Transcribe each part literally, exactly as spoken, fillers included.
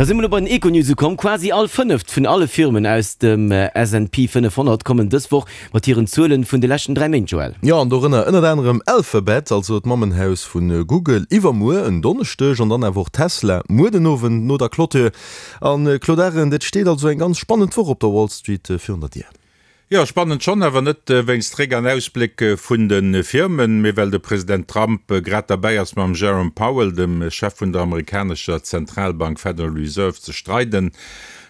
Da si mer elo bei den Econews ukomm. Quasi all fënneft vun alle Firmen aus dem S and P fënnefhonnert kommen dës Woch mat hiren Zuelen vun de leschten dräi Méint, Joël. Jo, an dorënner ënnert anerem Alphabet, also d'Mammenhaus vu Google, iwwermuer en Donneschdeg, an dann awer och Tesla muer den Owend no der Clôture. An Claude Arend, et steet also eng ganz spannend Woch op der Wall Street virun der Dier. Jo, spannend schonn, awer net wéinst Réck an Ausbléck vun de Firmen, mee well de President Trump grad derbäi ass mam Jerome Powell, dem Chef vun der amerikanescher Zentralbank Federal Reserve, ze streiden.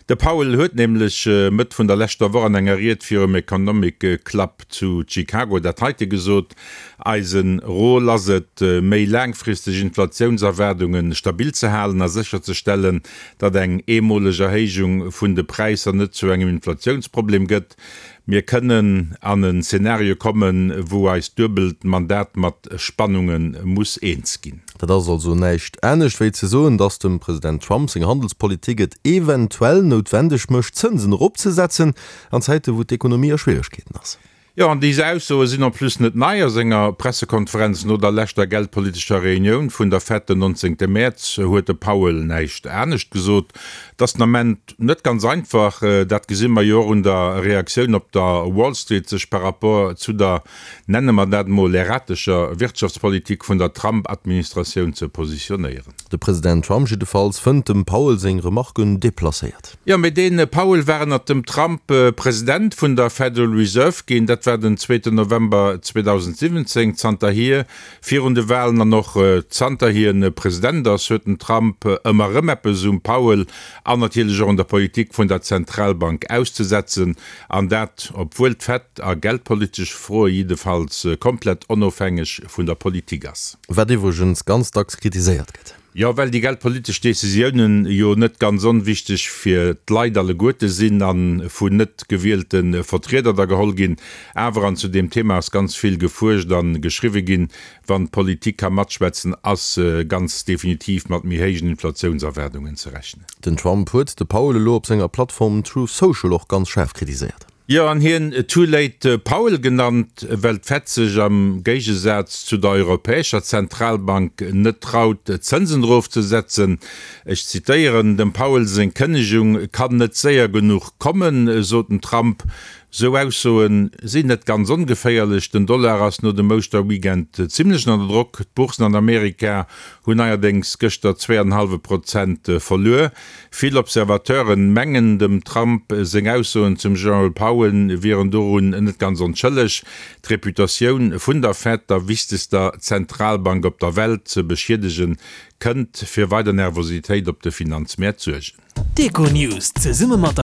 De Powell huet nämlech Mëtt vun der leschter Woch an enger Ried virum Economic Club zu Chicago dat heite gesot, Eise Rôle ass et, méi laangfristeg Inflatiounserwaardunge stabil ze halen a sécherzestellen, datt eng eemoleg Erhéijung vun de Präisser net zu engem Inflatiounsproblem gëtt. Mir kënnen an en Zenario kommen, wou eist duebelt Mandat mat Spannunge muss eens ginn. Dat ass also näischt anescht wéi ze soen, datt dem President Trump seng Handelspolitik et eventuell noutwendeg mécht, d'Zënsen eropzesetzen an Zäite wou d'Ekonomie a Schwieregkeeten ass. Jo, an déi Aussoe sinn en plus net nei. A senger Pressekonferenz no der leschter geldpolitescher Reunioun vun der Fed den nonzéngte Mäerz huet de Powell näischt anescht gesot. Et ass den Ament net ganz einfach, dat gesi mer jo och un der Reaktioun op der Wall Street, sech par rapport zu der, nenne mer dat emol, erratescher Wirtschaftspolitik vun der Trump-Administratioun ze positionéieren. De President Trump jiddefalls fënnt dem Powell seng Remarken deplacéiert. Jo, mee dee Powell war ënnert dem Trump President vun der Federal Reserve ginn. Dat war den zweeten November zweedausendsiwwenzéng. Zanterhier, virun de Walen an och zanter hien President ass, huet den Trump ëmmer erëm eppes um Powell an natierlech och un der Politik vun der Zentralbank auszesetzen. An dat, obwuel d'Fed a geldpolitesche Froe jiddefalls komplett onofhängeg vun der Politik ass. Wat iwwregens ganz dacks kritiséiert gëtt. Jo, well déi geldpolitesch Decisiounen jo net ganz onwichteg fir d'Leit alleguerte sinn a vun net gewielte Vertrieder da geholl ginn. Awer, an zu deem Thema ass ganz vill gefuerscht a geschriwwe ginn, wann d'Politik ka matschwätzen, ass ganz definitiv mat méi héijen Inflatiounserwaardungen ze rechnen. Den Trump huet de Powell elo op senger Plattform Truth Social och ganz schaarf kritiséiert. Jo, an hien Too Late Powell genannt, well d'Fed sech am Géigesaz zu der Europäescher Zentralbank net traut, d'Zënsen erofzesetzen. Ech zitéieren, Dem Powell seng Kënnegung kann net séier genuch kommen, sot den Trump. Sou Aussoe sinn net ganz ongeféierlech. Den Dollar ass no dem Ouschterweekend zimmlech ënner Drock. D'Boursen an Amerika hunn neierdéngs gëschter zwee an en hallwe Prozent verluer. Vill Observateuren mengen, dem Trump seng Aussoen zum Jerome Powell wieren dorun net ganz onschëlleg, d'Reputatioun vun der Fed, der wichtegster Zentralbank op der Welt, ze beschiedegen, kënnt fir weider Nervositéit op de Finanzmäert suergen. D'Econews zesumme mat der.